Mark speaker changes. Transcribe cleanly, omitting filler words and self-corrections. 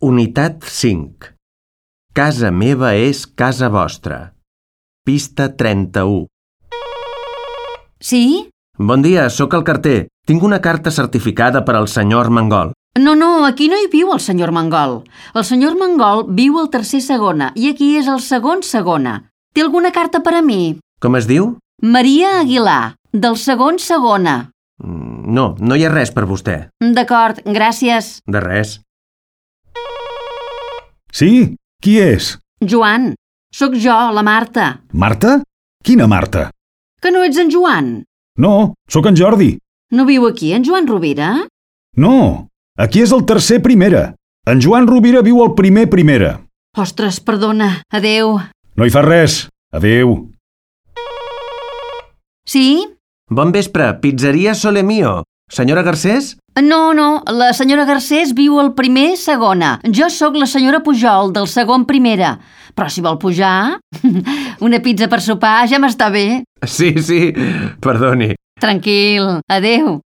Speaker 1: Unitat 5. Casa meva és casa vostra. Pista 31.
Speaker 2: Sí?
Speaker 1: Bon dia, sóc el carter. Tinc una carta certificada per al senyor Armengol.
Speaker 2: No, aquí no hi viu el senyor Mangol. El senyor Mangol viu al tercer segona i aquí és el segon segona. Té alguna carta per a mi?
Speaker 1: Com es diu?
Speaker 2: Maria Aguilar, del segon segona.
Speaker 1: No hi ha res per vostè.
Speaker 2: D'acord, gràcies.
Speaker 1: De res.
Speaker 3: Sí? Qui és?
Speaker 2: Joan, sóc jo, la Marta.
Speaker 3: Marta? Quina Marta?
Speaker 2: Que no ets en Joan?
Speaker 3: No, sóc en Jordi.
Speaker 2: No viu aquí, en Joan Rovira?
Speaker 3: No, aquí és el tercer primera. En Joan Rovira viu al primer primera.
Speaker 2: Ostres, perdona. Adéu.
Speaker 3: No hi fa res. Adéu.
Speaker 2: Sí?
Speaker 1: Bon vespre, pizzeria Sole Mio. Senyora Garcés?
Speaker 2: No, la senyora Garcés viu al primer segona. Jo sóc la senyora Pujol, del segon primera. Però si vol pujar, una pizza per sopar ja m'està bé.
Speaker 1: Sí, perdoni.
Speaker 2: Tranquil, adéu.